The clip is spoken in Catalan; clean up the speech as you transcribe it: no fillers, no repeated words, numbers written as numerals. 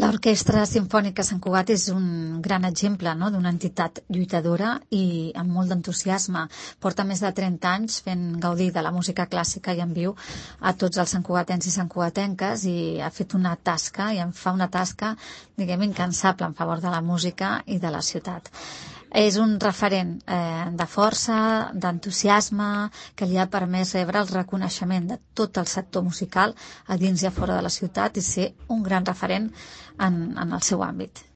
L'Orquestra Simfònica Sant Cugat és un gran exemple, no?, d'una entitat lluitadora i amb molt d'entusiasme. Porta més de 30 anys fent gaudir de la música clàssica i en viu a tots els santcugatens i santcugatenques, i ha fet una tasca, i en fa una tasca, diguem, incansable en favor de la música i de la ciutat. És un referent de força, d'entusiasme, que li ha permès rebre el reconeixement de tot el sector musical a dins i a fora de la ciutat i ser un gran referent en el seu àmbit.